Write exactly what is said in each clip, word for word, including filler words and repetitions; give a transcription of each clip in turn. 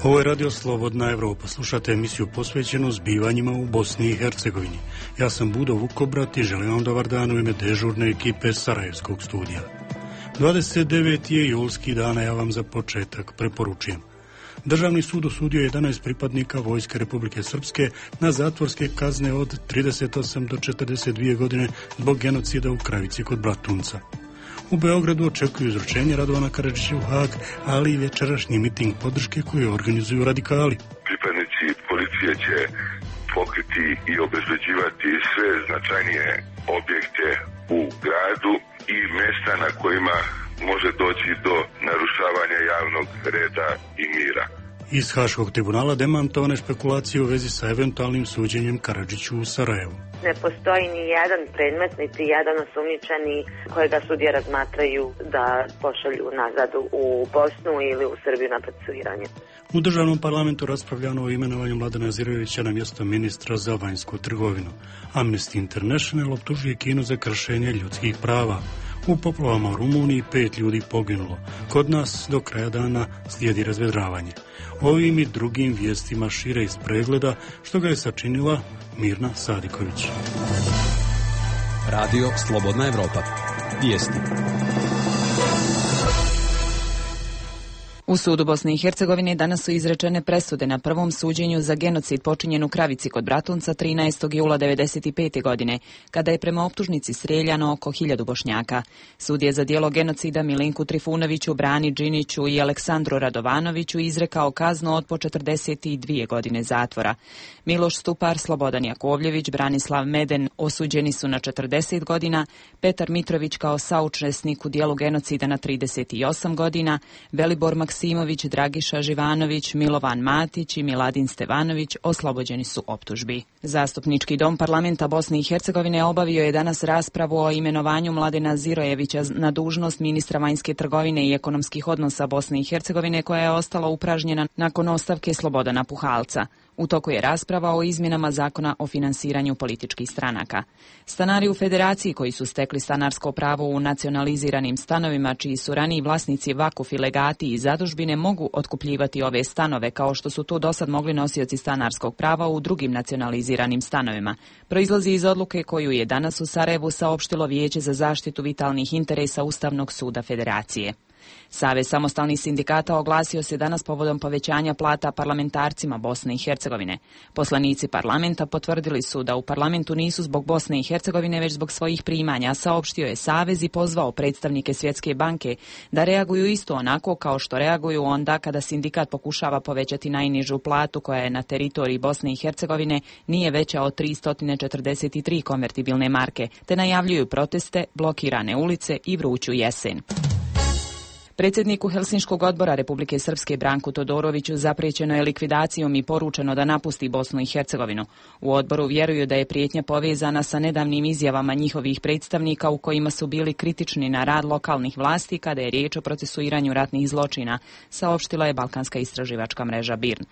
Ovo je Radio Slobodna Evropa. Slušate emisiju posvećenu zbivanjima u Bosni i Hercegovini. Ja sam Budo Vukobrat i želim vam dobar dan u ime dežurne ekipe Sarajevskog studija. dvadeset deveti je julski dan, a ja vam za početak preporučujem. Državni sud osudio jedanaest pripadnika Vojske Republike Srpske na zatvorske kazne od trideset osam do četrdeset dvije godine zbog genocida u Kravici kod Bratunca. U Beogradu očekuju izručenje Radovana Karadžića u Hag, ali i večerašnji miting podrške koju organizuju radikali. Pripadnici policije će pokriti i obezbeđivati sve značajnije objekte u gradu i mjesta na kojima može doći do narušavanja javnog reda i mira. Iz Haškog tribunala demantovane špekulacije u vezi sa eventualnim suđenjem Karadžiću u Sarajevu. Ne postoji ni jedan predmet, niti jedan osumnjičeni kojega sudije razmatraju da pošalju nazad u Bosnu ili u Srbiju na procesuiranje. U državnom parlamentu raspravljano o imenovanju Mladena Zirojevića na mjesto ministra za vanjsku trgovinu. Amnesty International optužuje Kinu za kršenje ljudskih prava. U poplavama u Rumuniji pet ljudi poginulo. Kod nas do kraja dana slijedi razvedravanje. Ovim i drugim vijestima šire iz pregleda što ga je sačinila Mirna Sadiković. Radio Slobodna Evropa. Vijesti. U sudu Bosne i Hercegovine danas su izrečene presude na prvom suđenju za genocid počinjen u Kravici kod Bratunca trinaestog jula devedeset pete. godine, kada je prema optužnici strijeljano oko hiljadu Bošnjaka. Sud je za djelo genocida Milinku Trifunoviću, Brani Džiniću i Aleksandru Radovanoviću izrekao kaznu od po četrdeset dvije godine zatvora. Miloš Stupar, Slobodan Jakovljević, Branislav Meden osuđeni su na četrdeset godina, Petar Mitrović kao saučesnik u djelu genocida na trideset osam godina, Velibor Maksimović, Dragiša Živanović, Milovan Matić i Miladin Stevanović oslobođeni su optužbi. Zastupnički dom parlamenta Bosne i Hercegovine obavio je danas raspravu o imenovanju Mladena Zirojevića na dužnost ministra vanjske trgovine i ekonomskih odnosa Bosne i Hercegovine, koja je ostala upražnjena nakon ostavke Slobodana Puhalca. U toku je rasprava o izmjenama zakona o finansiranju političkih stranaka. Stanari u Federaciji koji su stekli stanarsko pravo u nacionaliziranim stanovima, čiji su raniji vlasnici vakufi, legati i zadužbine, mogu otkupljivati ove stanove kao što su to dosad mogli nosioci stanarskog prava u drugim nacionaliziranim stanovima. Proizlazi iz odluke koju je danas u Sarajevu saopštilo Vijeće za zaštitu vitalnih interesa Ustavnog suda Federacije. Savez samostalnih sindikata oglasio se danas povodom povećanja plata parlamentarcima Bosne i Hercegovine. Poslanici parlamenta potvrdili su da u parlamentu nisu zbog Bosne i Hercegovine, već zbog svojih primanja, saopštio je Savez i pozvao predstavnike Svjetske banke da reaguju isto onako kao što reaguju onda kada sindikat pokušava povećati najnižu platu koja je na teritoriji Bosne i Hercegovine nije veća od tristo četrdeset tri konvertibilne marke, te najavljuju proteste, blokirane ulice i vruću jesen. Predsjedniku Helsinškog odbora Republike Srpske Branku Todoroviću zapriječeno je likvidacijom i poručeno da napusti Bosnu i Hercegovinu. U odboru vjeruju da je prijetnja povezana sa nedavnim izjavama njihovih predstavnika u kojima su bili kritični na rad lokalnih vlasti kada je riječ o procesuiranju ratnih zločina, saopštila je Balkanska istraživačka mreža B I R N.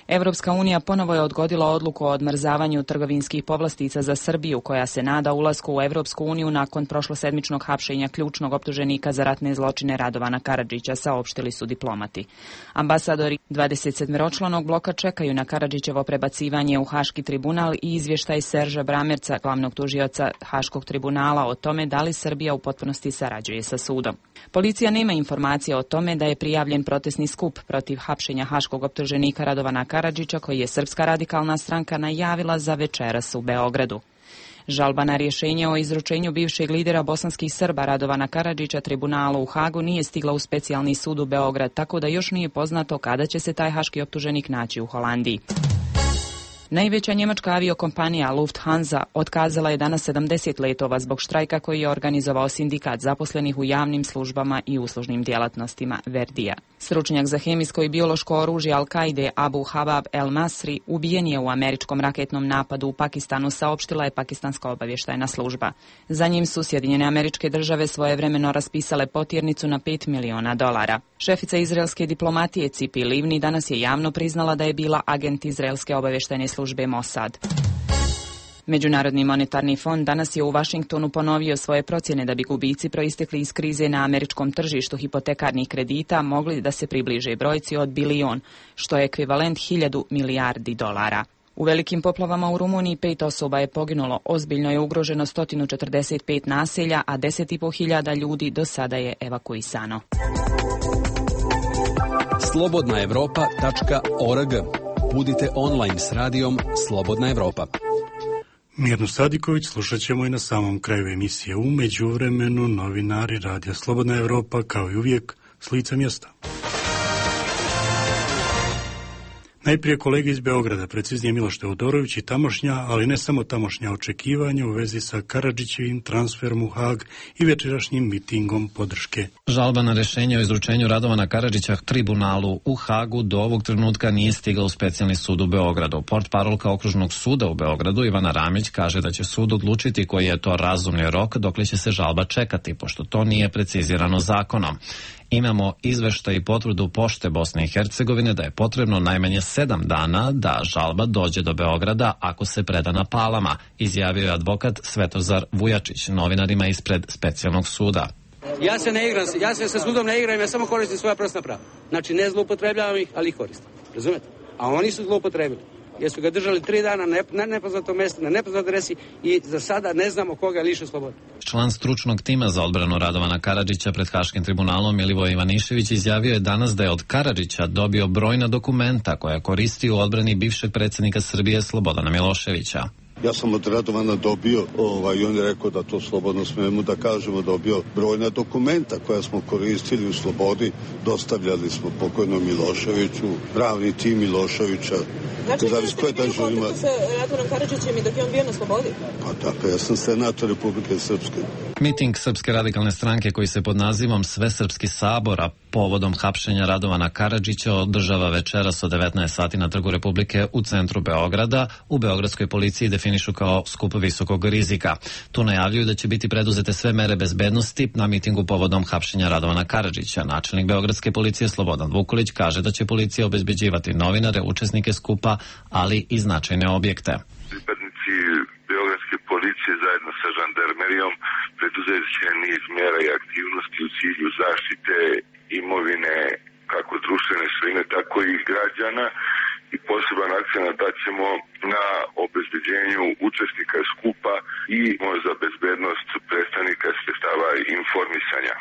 Evropska unija ponovo je odgodila odluku o odmrzavanju trgovinskih povlastica za Srbiju, koja se nada ulasku u Evropsku uniju nakon prošlosedmičnog hapšenja ključnog optuženika za ratne zločine Radovana Karadžića, saopštili su diplomati. Ambasadori dvadesetsedmoročlanog bloka čekaju na Karadžićevo prebacivanje u Haški tribunal i izvještaj Serža Bramerca, glavnog tužioca Haškog tribunala, o tome da li Srbija u potpunosti sarađuje sa sudom. Policija nema informacija o tome da je prijavljen protestni skup protiv hapšenja haškog optuženika Radovana Karadžića, koji je Srpska radikalna stranka najavila za večeras u Beogradu. Žalba na rješenje o izručenju bivšeg lidera bosanskih Srba Radovana Karadžića tribunalu u Hagu nije stigla u specijalni sud u Beograd, tako da još nije poznato kada će se taj haški optuženik naći u Holandiji. Najveća njemačka aviokompanija Lufthansa otkazala je danas sedamdeset letova zbog štrajka koji je organizovao sindikat zaposlenih u javnim službama i uslužnim djelatnostima Verdija. Stručnjak za hemijsko i biološko oružje Al-Kaide Abu Habab el-Masri ubijen je u američkom raketnom napadu u Pakistanu, saopštila je pakistanska obavještajna služba. Za njim su Sjedinjene Američke Države svojevremeno raspisale potjernicu na pet miliona dolara. Šefica izraelske diplomatije Cipi Livni danas je javno priznala da je bila agent izraelske obavještajne službe Mossad. Međunarodni monetarni fond danas je u Vašingtonu ponovio svoje procjene da bi gubici proistekli iz krize na američkom tržištu hipotekarnih kredita mogli da se približe brojci od bilion, što je ekvivalent hiljadu milijardi dolara. U velikim poplavama u Rumuniji pet osoba je poginulo, ozbiljno je ugroženo sto četrdeset pet naselja, a deset i po hiljada ljudi do sada je evakuisano. slobodna evropa tačka org. Budite online s radijom Slobodna Evropa. Mirnu Sadiković slušat ćemo i na samom kraju emisije. U međuvremenu novinari Radija Slobodna Evropa, kao i uvijek, s lica mjesta. Najprije kolege iz Beograda, preciznije Miloš Teodorović i tamošnja, ali ne samo tamošnja očekivanja u vezi sa Karadžićevim transferom u Hag i večerašnjim mitingom podrške. Žalba na rješenje o izručenju Radovana Karadžića tribunalu u Hagu do ovog trenutka nije stigla u specijalni sud u Beogradu. Portparolka okružnog suda u Beogradu Ivana Ramić kaže da će sud odlučiti koji je to razumni rok dokle će se žalba čekati, pošto to nije precizirano zakonom. Imamo izveštaj i potvrdu Pošte Bosne i Hercegovine da je potrebno najmanje sedam dana da žalba dođe do Beograda ako se preda na Palama, izjavio je advokat Svetozar Vujačić novinarima ispred specijalnog suda. Ja se ne igram, ja se sa sudom ne igram, ja samo koristim svoja prosna prava. Znači ne zloupotrebljavam ih, ali ih koristim. Razumete? A oni su zloupotrebili. Jer su ga držali tri dana na nepoznatom mjestu, na nepoznatoj adresi i za sada ne znamo koga je lišio slobode. Član stručnog tima za odbranu Radovana Karadžića pred Haškim tribunalom Milivoje Ivanišević izjavio je danas da je od Karadžića dobio brojna dokumenta koja koristi u odbrani bivšeg predsjednika Srbije Slobodana Miloševića. Ja sam od Radovana dobio, ovaj, i on je rekao da to slobodno smijemo da kažemo, dobio brojna dokumenta koja smo koristili u slobodi, dostavljali smo pokojnom Miloševiću, pravni tim Miloševića. Znači, vi ste bili u kontaktu sa Radovanom Karadžićem i dok je on bio na slobodi? Pa tako, ja sam senator Republike Srpske. Miting Srpske radikalne stranke koji se pod nazivom Svesrpski sabor, a povodom hapšenja Radovana Karadžića održava večeras od devetnaest sati na Trgu Republike u centru Beograda. U beogradskoj policiji definišu kao skup visokog rizika. Tu najavljuju da će biti preduzete sve mere bezbednosti na mitingu povodom hapšenja Radovana Karadžića. Načelnik beogradske policije Slobodan Vukulić kaže da će policija obezbeđivati novinare, učesnike skupa, ali i značajne objekte. Pripadnici beogradske policije zajedno sa žandarmerijom preduzet će niz mjera i aktivnosti u cilju zaštite imovine kako društvene svojine, tako i građana, i poseban akcent daćemo na obezbeđenju učesnika skupa i za bezbednost predstavnika sredstava informisanja.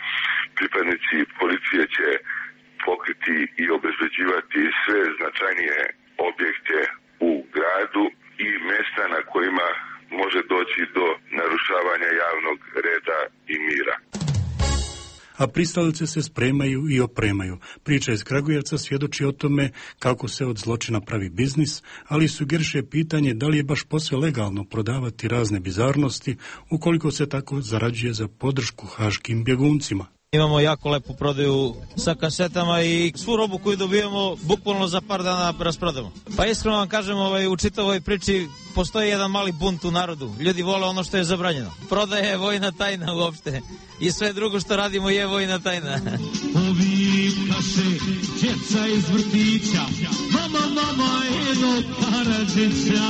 Pripadnici policije će pokriti i obezbeđivati sve značajnije objekte u gradu i mjesta na kojima može doći do narušavanja javnog reda i mira. A pristalice se spremaju i opremaju. Priča iz Kragujevca svjedoči o tome kako se od zločina pravi biznis, ali sugeriše pitanje da li je baš posve legalno prodavati razne bizarnosti ukoliko se tako zarađuje za podršku haškim bjeguncima. Imamo jako lepu prodaju sa kasetama i svu robu koju dobijemo bukvalno za par dana rasprodamo. Pa iskreno vam kažem, ovaj, u čitavoj priči postoji jedan mali bunt u narodu. Ljudi vole ono što je zabranjeno. Prodaje je vojna tajna uopšte. I sve drugo što radimo je vojna tajna. Ovi kaše, djeca iz vrtića, mama, mama, Edo Karadžića.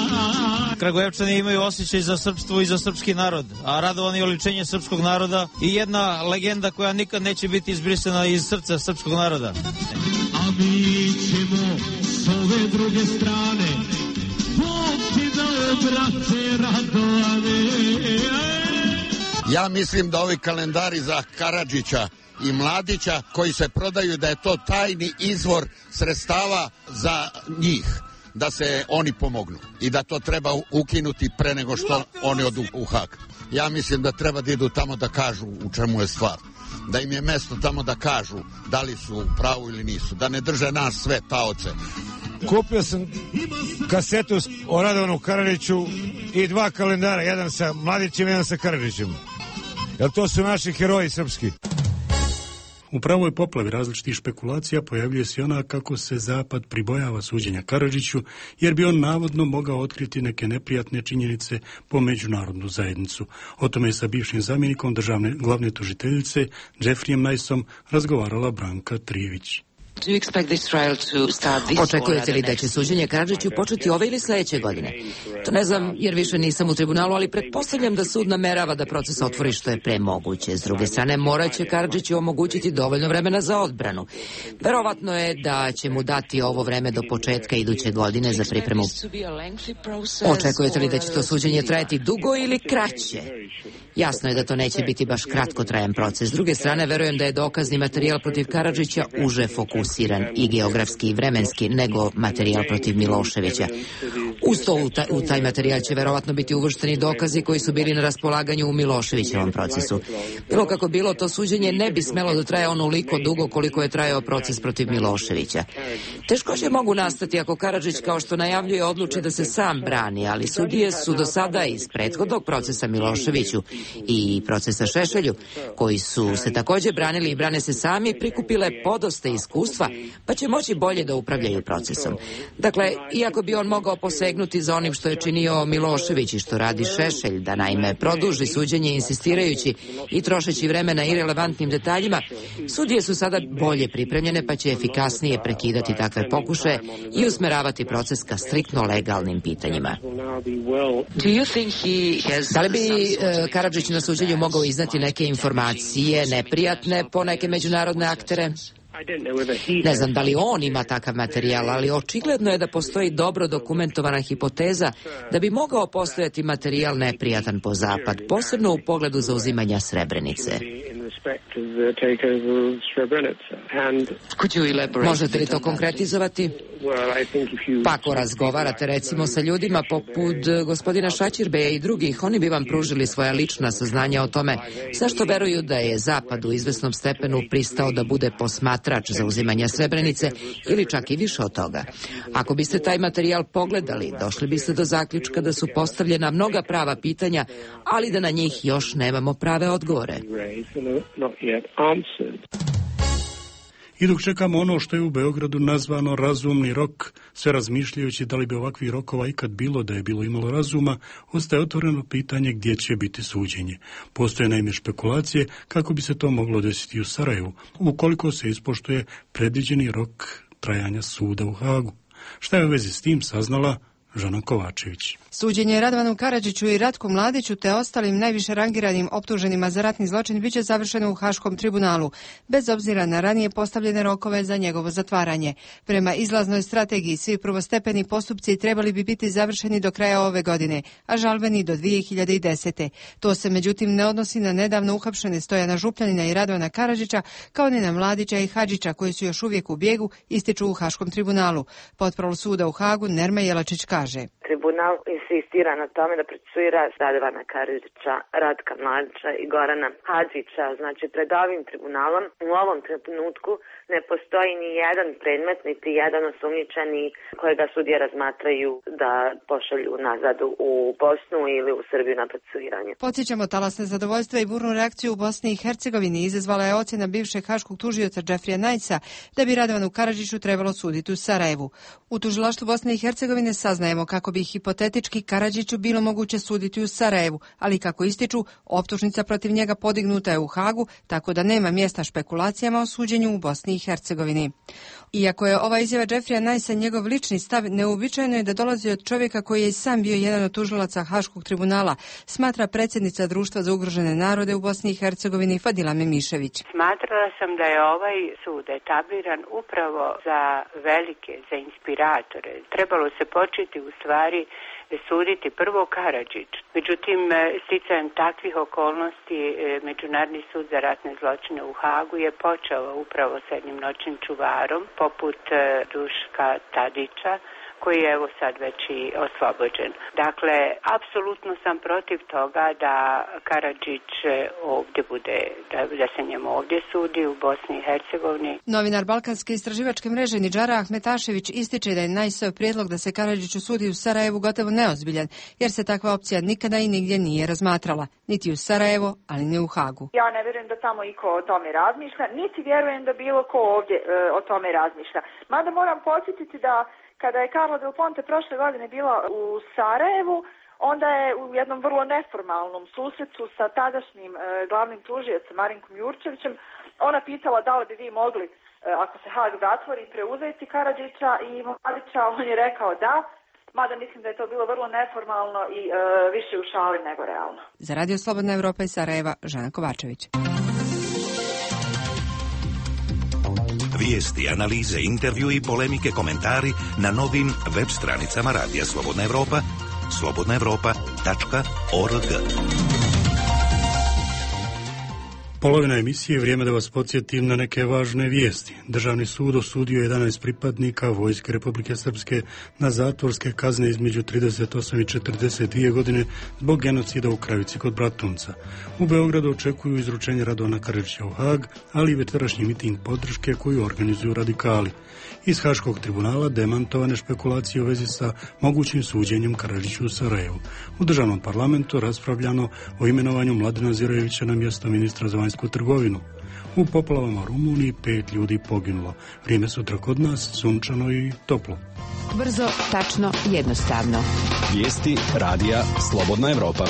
Kragujevčani imaju osjećaj za srpstvo i za srpski narod, a Radovan je oličenje srpskog naroda i jedna legenda koja nikad neće biti izbrisana iz srca srpskog naroda. A mi ćemo s ove druge strane, Bog ti dao, brate Radovane. Ja mislim da ovi kalendari za Karadžića i Mladića koji se prodaju, da je to tajni izvor sredstava za njih, da se oni pomognu i da to treba ukinuti pre nego što oni odu u Hag. Ja mislim da treba da idu tamo da kažu u čemu je stvar, da im je mesto tamo da kažu da li su u pravu ili nisu, da ne drže nas sve taoce. Kupio sam kasetu o Radovanu Karadžiću i dva kalendara, jedan sa Mladićem, jedan sa Karadžićem. Jer to su naši heroji srpski. U pravoj poplavi različitih špekulacija pojavljuje se ona kako se Zapad pribojava suđenja Karadžiću, jer bi on navodno mogao otkriti neke neprijatne činjenice po međunarodnu zajednicu. O tome je sa bivšim zamjenikom državne glavne tužiteljice Jeffrijem Niceom razgovarala Branka Trijević. Očekujete li da će suđenje Karadžiću početi ove ili sledeće godine? To ne znam jer više nisam u tribunalu, ali pretpostavljam da sud namerava da proces otvori što je pre moguće. S druge strane, morat će Karadžiću omogućiti dovoljno vremena za odbranu. Verovatno je da će mu dati ovo vreme do početka iduće godine za pripremu. Očekujete li da će to suđenje trajati dugo ili kraće? Jasno je da to neće biti baš kratkotrajan proces. S druge strane, verujem da je dokazni materijal protiv Karadžića uže fokusiran i geografski i vremenski nego materijal protiv Miloševića. Uz to u taj, u taj materijal će verovatno biti uvršteni dokazi koji su bili na raspolaganju u Miloševićevom procesu. Bilo kako bilo, to suđenje ne bi smelo da traje onoliko dugo koliko je trajao proces protiv Miloševića. Teškoće mogu nastati ako Karadžić, kao što najavljuje, odluči da se sam brani, ali sudije su do sada iz prethodnog procesa Miloševiću i procesa Šešelju, koji su se takođe branili i brane se sami, prikupile podosta iskustva, pa će moći bolje da upravljaju procesom. Dakle, iako bi on mogao posegnuti za onim što je činio Milošević i što radi Šešelj, da naime produži suđenje insistirajući i trošeći vreme na irelevantnim detaljima, sudije su sada bolje pripremljene pa će efikasnije prekidati takve pokušaje i usmeravati proces ka striktno legalnim pitanjima. Da li bi e, Karadžić na suđenju mogao iznati neke informacije neprijatne po neke međunarodne aktere? Ne znam da li on ima takav materijal, ali očigledno je da postoji dobro dokumentovana hipoteza da bi mogao postojati materijal neprijatan po Zapad, posebno u pogledu zauzimanja Srebrenice. Možete li to konkretizovati? Pa ako razgovarate recimo sa ljudima poput gospodina Šaćirbeja i drugih, oni bi vam pružili svoja lična saznanja o tome zašto veruju da je Zapad u izvesnom stepenu pristao da bude posmatrač zauzimanja Srebrenice ili čak i više od toga. Ako biste taj materijal pogledali, došli biste do zaključka da su postavljena mnoga prava pitanja, ali da na njih još nemamo prave odgovore. I dok čekamo ono što je u Beogradu nazvano razumni rok, sve razmišljajući da li bi ovakvih rokova ikad bilo da je bilo imalo razuma, ostaje otvoreno pitanje gdje će biti suđenje. Postoje naime špekulacije kako bi se to moglo desiti u Sarajevu, ukoliko se ispoštuje predviđeni rok trajanja suda u Hagu. Šta je u vezi s tim saznala Žana Kovačević. Suđenje Radovanu Karadžiću i Ratku Mladiću te ostalim najviše rangiranim optuženima za ratni zločin biće završeno u Haškom tribunalu, bez obzira na ranije postavljene rokove za njegovo zatvaranje. Prema izlaznoj strategiji, svi prvostepeni postupci trebali bi biti završeni do kraja ove godine, a žalbeni do dvije hiljade desete. To se međutim ne odnosi na nedavno uhapšene Stojana Župljanina i Radovana Karadžića, kao ni na Mladića i Hadžića, koji su još uvijek u bijegu, ističu u Haškom tribunalu. Portparol suda u Hagu Nerma Jelačić kaže: Tribunal insistira na tome da procesuira Radovana Karadžića, Ratka Mladića i Gorana Hadžića. Znači, pred ovim tribunalom u ovom trenutku ne postoji ni jedan predmet, niti jedan osumnjičeni kojega sudije razmatraju da pošalju nazad u Bosnu ili u Srbiju na procesuiranje. Podsjećamo, talasne zadovoljstva i burnu reakciju u Bosni i Hercegovini izazvala je ocjena bivšeg haškog tužioca Džefrija Najsa da bi Radovanu Karadžiću trebalo suditi u Sarajevu. U tužilaštvu Bosne i Hercegovine saznajemo kako bi hipotetički Karadžiću bilo moguće suditi u Sarajevu, ali kako ističu, optužnica protiv njega podignuta je u Hagu, tako da nema mjesta špekulacijama o suđenju u Bosni i Hercegovini. Iako je ova izjava Džefrija Najsa njegov lični stav, neuobičajeno je da dolazi od čovjeka koji je i sam bio jedan od tužilaca Haškog tribunala, smatra predsjednica Društva za ugrožene narode u Bosni i Hercegovini Fadila Memišević. Smatrala sam da je ovaj sud etabliran upravo za velike, za inspiratore. Trebalo se početi u stvari suditi prvo Karadžić. Međutim, sticajem takvih okolnosti Međunarodni sud za ratne zločine u Hagu je počeo upravo s jednim noćnim čuvarom poput Duška Tadića, koji je evo sad već i oslobođen. Dakle, apsolutno sam protiv toga da Karadžić ovdje bude, da, da se njemu ovdje sudi u Bosni i Hercegovini. Novinar Balkanske istraživačke mreže Nidžara Ahmetašević ističe da je Najsov prijedlog da se Karadžiću sudi u Sarajevu gotovo neozbiljan, jer se takva opcija nikada i nigdje nije razmatrala, niti u Sarajevo, ali ni u Hagu. Ja ne vjerujem da tamo iko o tome razmišlja, niti vjerujem da bilo ko ovdje e, o tome razmišlja. Mada moram podsjetiti da kada je Carla Del Ponte prošle godine bila u Sarajevu, onda je u jednom vrlo neformalnom susretu sa tadašnjim e, glavnim tužiocem Marinkom Jurčevićem ona pitala da li bi vi mogli ako se Haag zatvori, preuzeti Karadžića i Mladića. On je rekao da, mada mislim da je to bilo vrlo neformalno i e, više u šali nego realno. Za Radio Slobodna Evropa iz Sarajeva, Žana Kovačević. Vijesti, analize, intervju i polemike, komentari na novim web stranicama Radija Slobodna Evropa, slobodna evropa tačka org. Polovina emisije je vrijeme da vas podsjetim na neke važne vijesti. Državni sud osudio jedanaest pripadnika Vojske Republike Srpske na zatvorske kazne između trideset osam i četrdeset dvije godine zbog genocida u Kravici kod Bratunca. U Beogradu očekuju izručenje Radovana Karadžića u Haag, ali i večerašnji miting podrške koju organizuju radikali. Iz Haškog tribunala demantovane špekulacije u vezi sa mogućim suđenjem Karadžiću u Sarajevu. U državnom parlamentu raspravljano o imenovanju Mladena Zirojevića na mjesto ministra za vanjsku trgovinu. U poplavama u Rumuniji pet ljudi poginulo. Vrijeme sutra kod nas sunčano i toplo. Brzo, tačno, jednostavno. Vijesti Radija Slobodna Evropa.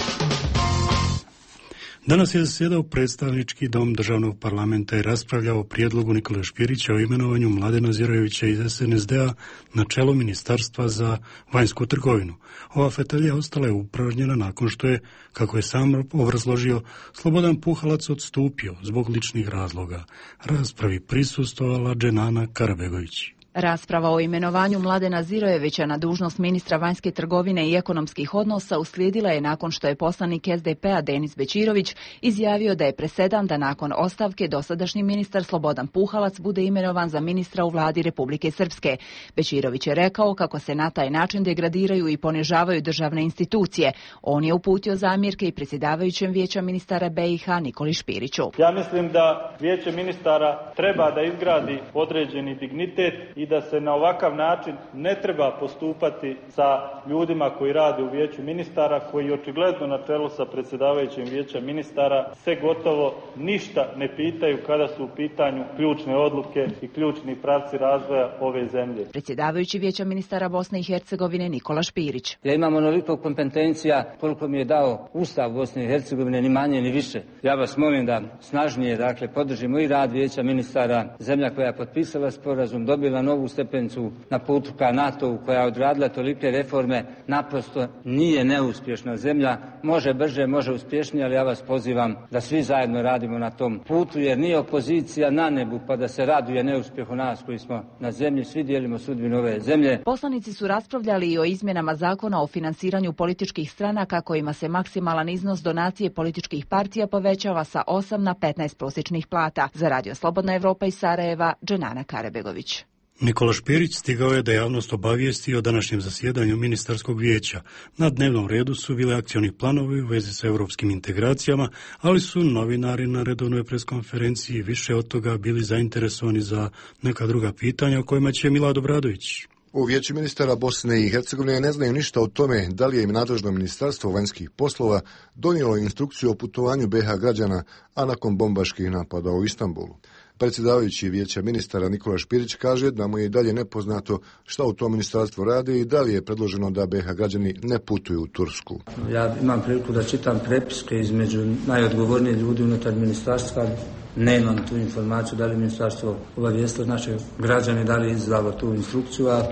Danas je zasjedao predstavnički dom državnog parlamenta i raspravljao o prijedlogu Nikole Špirića o imenovanju Mladena Zirojevića iz es en es de a na čelo Ministarstva za vanjsku trgovinu. Ova fetalija ostala je upražnjena nakon što je, kako je sam obrazložio, Slobodan Puhalac odstupio zbog ličnih razloga. Raspravi prisustvovala Dženana Karabegović. Rasprava o imenovanju Mladena Zirojevića na dužnost ministra vanjske trgovine i ekonomskih odnosa uslijedila je nakon što je poslanik es de pe a Denis Bećirović izjavio da je presedan da nakon ostavke dosadašnji ministar Slobodan Puhalac bude imenovan za ministra u vladi Republike Srpske. Bećirović je rekao kako se na taj način degradiraju i ponižavaju državne institucije. On je uputio zamjerke i predsjedavajućem vijeća ministara be i ha Nikoli Špiriću. Ja mislim da vijeće ministara treba da izgradi određeni dignitet i da se na ovakav način ne treba postupati sa ljudima koji rade u vijeću ministara, koji očigledno na čelu sa predsjedavajućim vijeća ministara se gotovo ništa ne pitaju kada su u pitanju ključne odluke i ključni pravci razvoja ove zemlje. Predsjedavajući vijeća ministara Bosne i Hercegovine Nikola Špirić. Ja imam onoliko kompetencija koliko mi je dao Ustav Bosne i Hercegovine, ni manje ni više. Ja vas molim da snažnije, dakle, podržimo i rad vijeća ministara, zemlja koja je potpisala sporazum, dobila novu stepenicu na putu ka NATO-u, koja je odradila tolike reforme, naprosto nije neuspješna zemlja. Može brže, može uspješnije, ali ja vas pozivam da svi zajedno radimo na tom putu, jer nije opozicija na nebu pa da se raduje neuspjehu nas koji smo na zemlji. Svi dijelimo sudbinu ove zemlje. Poslanici su raspravljali i o izmjenama zakona o finansiranju političkih stranaka kojima se maksimalan iznos donacije političkih partija povećava sa osam na petnaest prosječnih plata. Za Radio Slobodna Evropa iz Sarajeva, Dženana Karabegović. Nikola Špirić stigao je da javnost obavijesti o današnjem zasjedanju ministarskog vijeća. Na dnevnom redu su bili akcioni planovi u vezi sa europskim integracijama, ali su novinari na redovnoj preskonferenciji više od toga bili zainteresovani za neka druga pitanja o kojima će Milad Obradović. U vijeću ministara Bosne i Hercegovine ne znaju ništa o tome da li je im nadležno ministarstvo vanjskih poslova donijelo instrukciju o putovanju be ha građana, a nakon bombaških napada u Istanbulu. Predsjedavajući vijeća ministara Nikola Špirić kaže da mu je i dalje nepoznato šta u tom ministarstvu radi i da li je predloženo da be ha građani ne putuju u Tursku. Ja imam priliku da čitam prepiske između najodgovornijih ljudi unutar ministarstva. Nemam tu informaciju da li ministarstvo obavijestilo naše građane, da li je izdalo tu instrukciju, a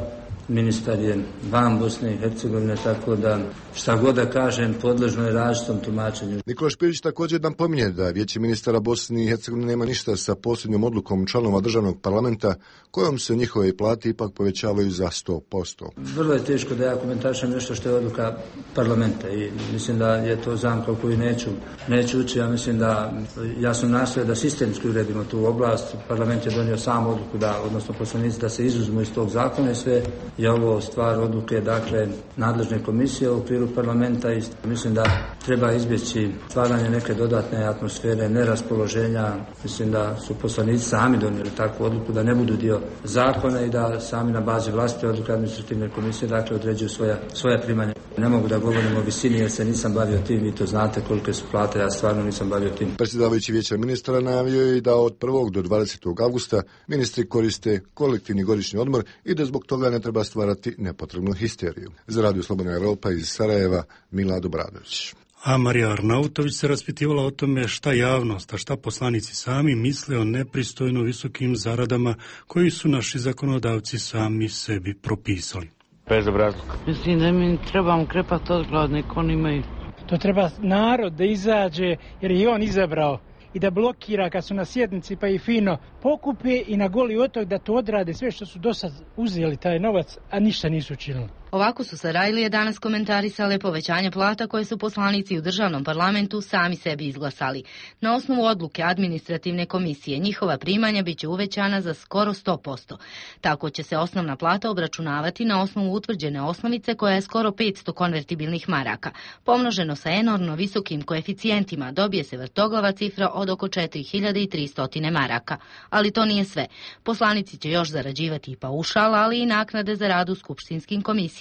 ministar je van Bosne i Hercegovine, tako da šta god da kažem podležno je različitom tumačenju. Nikola Špirić također nam pominje da vijeće ministara Bosne i Hercegovine nema ništa sa posljednjom odlukom članova državnog parlamenta kojom se njihove plate ipak povećavaju za sto posto. Vrlo je teško da ja komentarišem nešto što je odluka parlamenta i mislim da je to zamka u koju neću, neću ući. Ja mislim da ja sam nastojao da sistemski uredimo tu oblast. Parlament je donio sam odluku da, odnosno poslanici, da se izuzmu iz tog zakona i sve je ovo stvar odluke, dakle, nadležne komisije u okviru parlamenta i mislim da treba izbjeći stvaranje neke dodatne atmosfere, neraspoloženja. Mislim da su poslanici sami donijeli takvu odluku da ne budu dio zakona i da sami na bazi vlastite odluke administrativne komisije, dakle, određuju svoja, svoja primanja. Ne mogu da govorim o visini jer se nisam bavio tim, vi to znate kolike su plate, ja stvarno nisam bavio tim. Predsjedavajući vijeća ministara najavio je da od prvog do dvadesetog avgusta ministri koriste kolektivni godišnji odmor i da zbog toga ne treba stvarati nepotrebnu histeriju. Za Radio Slobodna Evropa iz Sarajeva, Milad Obradović. A Marija Arnautović se raspitivala o tome šta javnost, a šta poslanici sami misle o nepristojno visokim zaradama koji su naši zakonodavci sami sebi propisali. Bezobrazluk. Mislim da mi trebamo krepati od glad, nek oni imaju. To treba narod da izađe, jer je on izabrao, i da blokira kad su na sjednici, pa i fino pokupe i na Goli otok da to odrade sve što su do sad uzeli taj novac, a ništa nisu učinili. Ovako su Sarajlije danas komentarisale povećanje plata koje su poslanici u državnom parlamentu sami sebi izglasali. Na osnovu odluke administrativne komisije njihova primanja biće uvećana za skoro sto posto. Tako će se osnovna plata obračunavati na osnovu utvrđene osnovice koja je skoro petsto konvertibilnih maraka. Pomnoženo sa enormno visokim koeficijentima dobije se vrtoglava cifra od oko četiri hiljade tristo maraka. Ali to nije sve. Poslanici će još zarađivati i paušal, ali i naknade za rad u skupštinskim komisijama.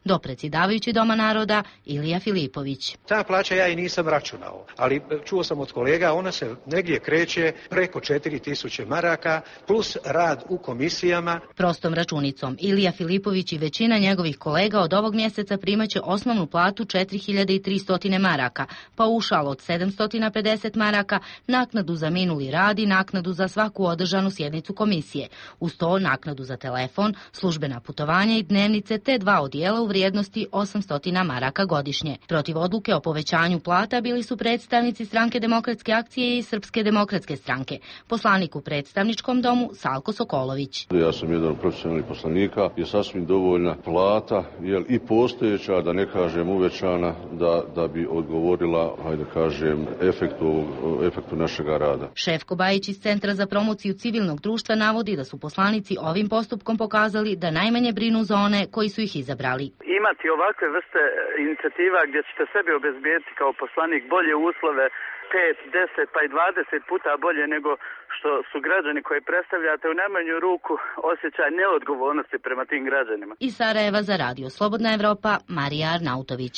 Do predsjedavajući Doma naroda Ilija Filipović. Ta plaća ja i nisam računao, ali čuo sam od kolega, ona se negdje kreće preko četiri tisuće maraka plus rad u komisijama. Prostom računicom Ilija Filipović i većina njegovih kolega od ovog mjeseca primaće osnovnu platu četiri hiljade tristo maraka, paušal od sedamsto pedeset maraka, naknadu za minuli rad i naknadu za svaku održanu sjednicu komisije. Uz to naknadu za telefon, službena putovanja i dnevnice te dva odijela u vrijednosti osamsto maraka godišnje. Protiv odluke o povećanju plata bili su predstavnici Stranke demokratske akcije i Srpske demokratske stranke. Poslanik u predstavničkom domu Salko Sokolović. Ja sam jedan od profesionalnih poslanika, je sasvim dovoljna plata, jel i postojeća, da ne kažem uvećana, da, da bi odgovorila, hajde kažem, efektu, efektu našega rada. Šefko Bajić iz Centra za promociju civilnog društva navodi da su poslanici ovim postupkom pokazali da najmanje brinu za one koji su ih izabrali. Imati ovakve vrste inicijativa gdje ćete sebi obezbijeti kao poslanik bolje uslove, pet, deset pa i dvadeset puta bolje nego što su građani koje predstavljate, u najmanju ruku osjećaj neodgovornosti prema tim građanima. Iz Sarajeva za Radio Slobodna Evropa, Marija Arnautović.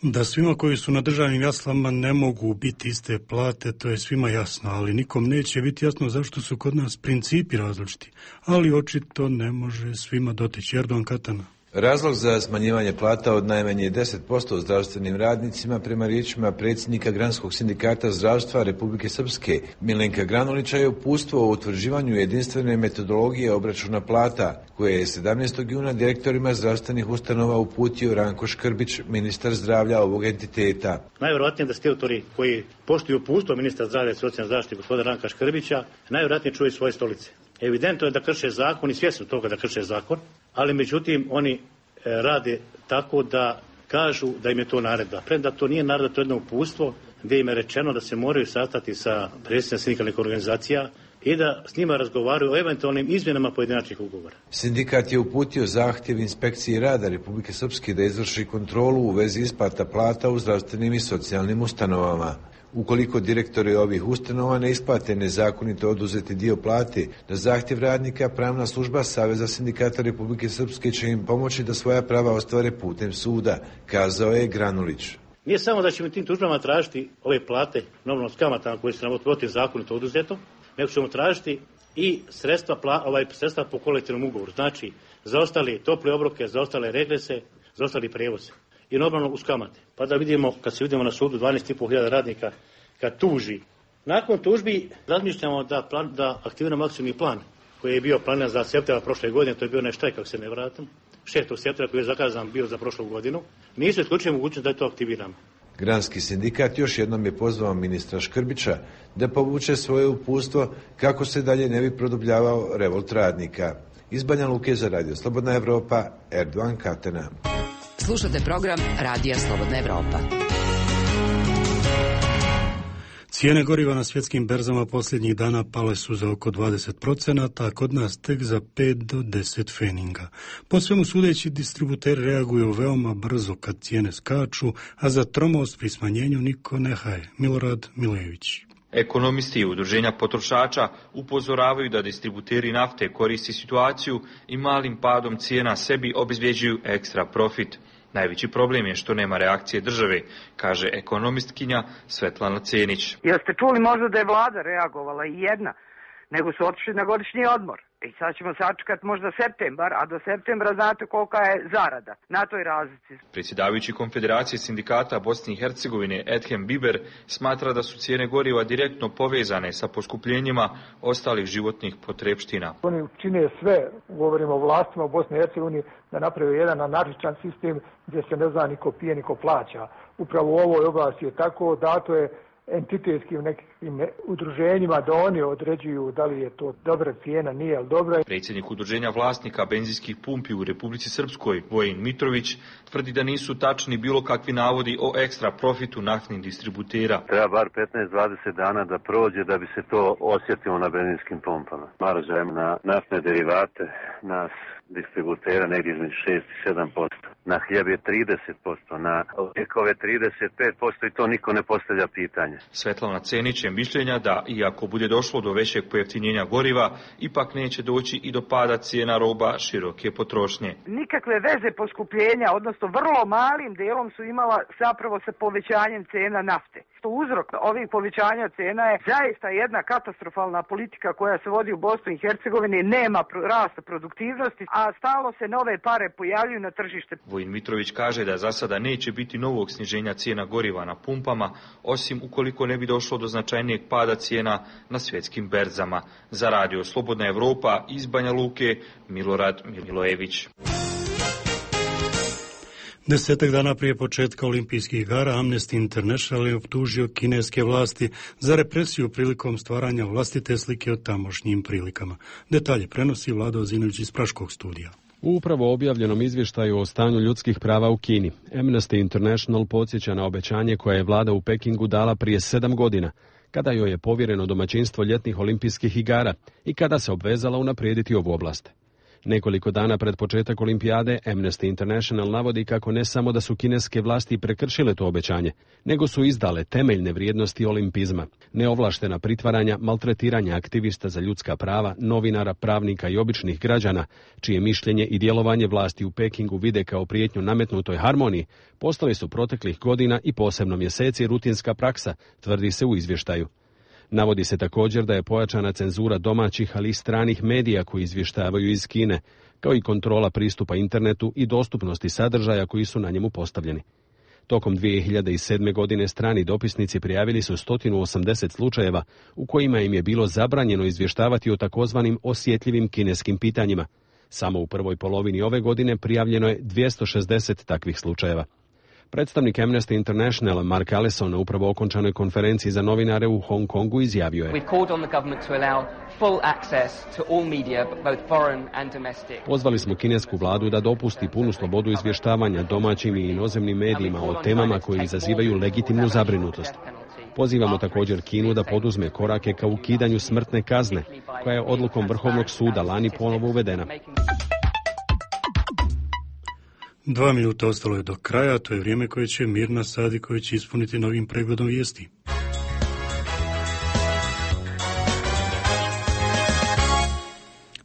Da svima koji su na državnim jaslama ne mogu biti iste plate, to je svima jasno, ali nikom neće biti jasno zašto su kod nas principi različiti. Ali očito ne može svima doteći. Erdogan Katana. Razlog za smanjivanje plata od najmanje deset posto zdravstvenim radnicima prema riječima predsjednika Granskog sindikata zdravstva Republike Srpske Milenka Granulića je uputstvo o utvrđivanju jedinstvene metodologije obračuna plata, koje je sedamnaestog juna direktorima zdravstvenih ustanova uputio Ranko Škrbić, ministar zdravlja ovog entiteta. Najvjerojatnije da ste autori koji poštuju uputstvo ministra zdravlja i socijalne zaštite gospodina Ranka Škrbića najvjerojatnije čuju svoje stolice. Evidentno je da krše zakon i svjesno toga da krše zakon, ali međutim oni e, rade tako da kažu da im je to naredba. Premda to nije naredba, to je jedno uputstvo gdje im je rečeno da se moraju sastati sa predsjednicima sindikalnih organizacija i da s njima razgovaraju o eventualnim izmjenama pojedinačnih ugovora. Sindikat je uputio zahtjev inspekciji rada Republike Srpske da izvrši kontrolu u vezi isplata plata u zdravstvenim i socijalnim ustanovama. Ukoliko direktori ovih ustanova ne isplate nezakonito oduzeti dio plate, na zahtjev radnika pravna služba Saveza sindikata Republike Srpske će im pomoći da svoja prava ostvare putem suda, kazao je Granulić. Nije samo da ćemo tim tužbama tražiti ove plate, normalno s kamatama koje su nam protivzakonito oduzeto, nego ćemo tražiti i sredstva, ovaj, sredstva po kolektivnom ugovoru. Znači, za ostale tople obroke, za ostale regrese, za ostali prijevoze. I normalno uz kamate. Pa da vidimo, kad se vidimo na sudu dvanaest i pol hiljada radnika, kad tuži. Nakon tužbi razmišljamo da, plan, da aktiviramo akcijni plan koji je bio planiran za septembra prošle godine, to je bio onaj štrajk, kako se ne vratim, šestog septembra koji je zakazan bio za prošlu godinu. Nisu isključili mogućnost da to aktiviramo. Granski sindikat još jednom je pozvao ministra Škrbića da povuče svoje uputstvo kako se dalje ne bi produbljavao revolt radnika. Iz Banja Luke za Radio Slobodna Evropa, Erdogan Katena. Slušate program Radija Slobodna Evropa. Cijene goriva na svjetskim berzama posljednjih dana pale su za oko dvadeset procenata, a kod nas tek za pet do deset feninga. Po svemu sudeći, distributeri reaguju veoma brzo kad cijene skaču, a za tromost pri smanjenju niko ne haje. Milorad Milević. Ekonomisti i udruženja potrošača upozoravaju da distributeri nafte koristi situaciju i malim padom cijena sebi obezbjeđuju ekstra profit. Najveći problem je što nema reakcije države, kaže ekonomistkinja Svetlana Cenić. Jeste čuli možda da je vlada reagovala i jedna, nego su otišli na godišnji odmor. I sad ćemo sačekati možda septembar, a do septembra znate kolika je zarada na toj razlici. Predsjedavajući Konfederacije sindikata Bosne i Hercegovine Edhem Biber smatra da su cijene goriva direktno povezane sa poskupljenjima ostalih životnih potrepština. Oni čine sve, govorimo o vlastima u Bosni i Hercegovini, da naprave jedan anarhičan sistem gdje se ne zna niko pije, niko plaća. Upravo u ovoj oblasti je tako, dato je entitetskim nekim udruženjima da oni određuju da li je to dobra cijena, nije li dobra. Predsjednik udruženja vlasnika benzinskih pumpi u Republici Srpskoj, Vojin Mitrović, tvrdi da nisu tačni bilo kakvi navodi o ekstra profitu naftnih distributera. Treba bar petnaest do dvadeset dana da prođe da bi se to osjetilo na benzinskim pumpama. Marža je na naftne derivate nas distributera negdje između šest i sedam posto. Na hljeb je trideset posto, na lijekove trideset pet posto i to niko ne postavlja pitanje. Svetlana Cenić je mišljenja da, iako bude došlo do većeg pojeftinjenja goriva, ipak neće doći i do pada cijena roba široke potrošnje. Nikakve veze poskupljenja, odnosno vrlo malim delom su imala zapravo sa povećanjem cena nafte. Uzrok ovih povećanja cena je zaista jedna katastrofalna politika koja se vodi u Bosni i Hercegovini, nema rasta produktivnosti, a stalno se nove pare pojavljuju na tržište. Vojin Mitrović kaže da za sada neće biti novog sniženja cijena goriva na pumpama, osim ukoliko ne bi došlo do značajnijeg pada cijena na svjetskim berzama. Za Radio Slobodna Evropa iz Banja Luke, Milorad Milojević. Desetak dana prije početka olimpijskih igara Amnesty International je optužio kineske vlasti za represiju prilikom stvaranja vlastite slike o tamošnjim prilikama. Detalje prenosi Vlado Ozinović iz Praškog studija. U upravo objavljenom izvještaju o stanju ljudskih prava u Kini, Amnesty International podsjeća na obećanje koje je vlada u Pekingu dala prije sedam godina, kada joj je povjereno domaćinstvo ljetnih olimpijskih igara i kada se obvezala unaprijediti ovu oblast. Nekoliko dana pred početak olimpijade, Amnesty International navodi kako ne samo da su kineske vlasti prekršile to obećanje, nego su izdale temeljne vrijednosti olimpizma, neovlaštena pritvaranja, maltretiranja aktivista za ljudska prava, novinara, pravnika i običnih građana, čije mišljenje i djelovanje vlasti u Pekingu vide kao prijetnju nametnutoj harmoniji, postali su proteklih godina i posebno mjeseci rutinska praksa, tvrdi se u izvještaju. Navodi se također da je pojačana cenzura domaćih, ali i stranih medija koji izvještavaju iz Kine, kao i kontrola pristupa internetu i dostupnosti sadržaja koji su na njemu postavljeni. Tokom dvije hiljade sedme. godine strani dopisnici prijavili su sto osamdeset slučajeva u kojima im je bilo zabranjeno izvještavati o takozvanim osjetljivim kineskim pitanjima. Samo u prvoj polovini ove godine prijavljeno je dvjesto šezdeset takvih slučajeva. Predstavnik Amnesty International Mark Allison na upravo okončanoj konferenciji za novinare u Hong Kongu izjavio je: Pozvali smo kinesku vladu da dopusti punu slobodu izvještavanja domaćim i inozemnim medijima o temama koje izazivaju legitimnu zabrinutost. Pozivamo također Kinu da poduzme korake ka ukidanju smrtne kazne, koja je odlukom Vrhovnog suda lani ponovo uvedena. Dva minuta ostalo je do kraja, to je vrijeme koje će Mirna Sadiković ispuniti novim pregledom vijesti.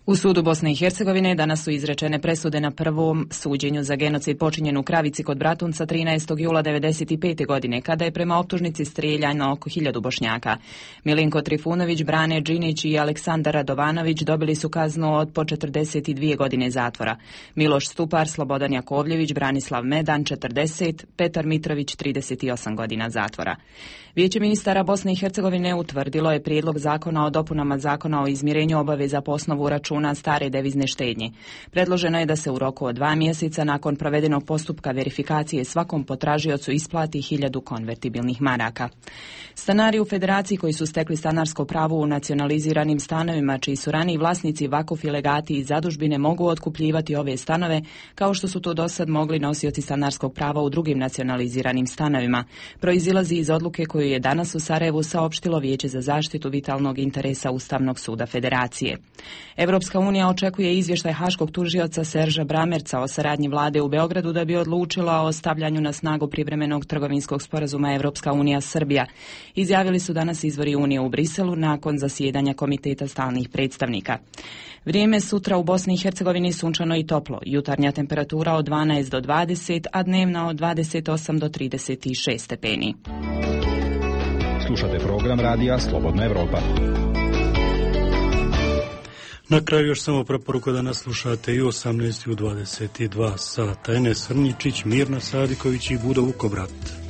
U sudu Bosne i Hercegovine danas su izrečene presude na prvom suđenju za genocid počinjen u Kravici kod Bratunca trinaestog jula devedeset pete. godine, kada je prema optužnici strijeljano oko hiljadu Bošnjaka. Milinko Trifunović, Brane Džinić i Aleksandar Radovanović dobili su kaznu od po četrdeset dvije godine zatvora. Miloš Stupar, Slobodan Jakovljević, Branislav Medan četrdeset, Petar Mitrović trideset osam godina zatvora. Vijeće ministara Bosne i Hercegovine utvrdilo je prijedlog zakona o dopunama zakona o izmirenju obaveza po osnovu računa stare devizne štednje. Predloženo je da se u roku od dva mjeseca nakon provedenog postupka verifikacije svakom potražiocu isplati hiljadu konvertibilnih maraka. Stanari u Federaciji koji su stekli stanarsko pravo u nacionaliziranim stanovima, čiji su raniji vlasnici vakuf i legati i zadužbine, mogu otkupljivati ove stanove, kao što su to dosad mogli nosioci stanarskog prava u drugim nacionaliziranim stanovima. Proizilazi iz odluke koju je danas u Sarajevu saopštilo Vijeće za zaštitu vitalnog interesa Ustavnog suda Federacije. Evropska unija očekuje izvještaj haškog tužioca Serža Bramerca o saradnji vlade u Beogradu da bi odlučila o stavljanju na snagu privremenog trgovinskog sporazuma Evropska unija Srbija. Izjavili su danas izvori Unije u Briselu nakon zasjedanja Komiteta stalnih predstavnika. Vrijeme sutra u Bosni i Hercegovini sunčano i toplo. Jutarnja temperatura od dvanaest do dvadeset, a dnevna od dvadeset osam do trideset šest stepeni. Slušate program radija Slobodna Evropa. Na kraju još samo preporuka da nas slušate i osamnaest i u dvadeset dva sata. Enes Srnjičić, Mirna Sadiković i Budo Vukobrat.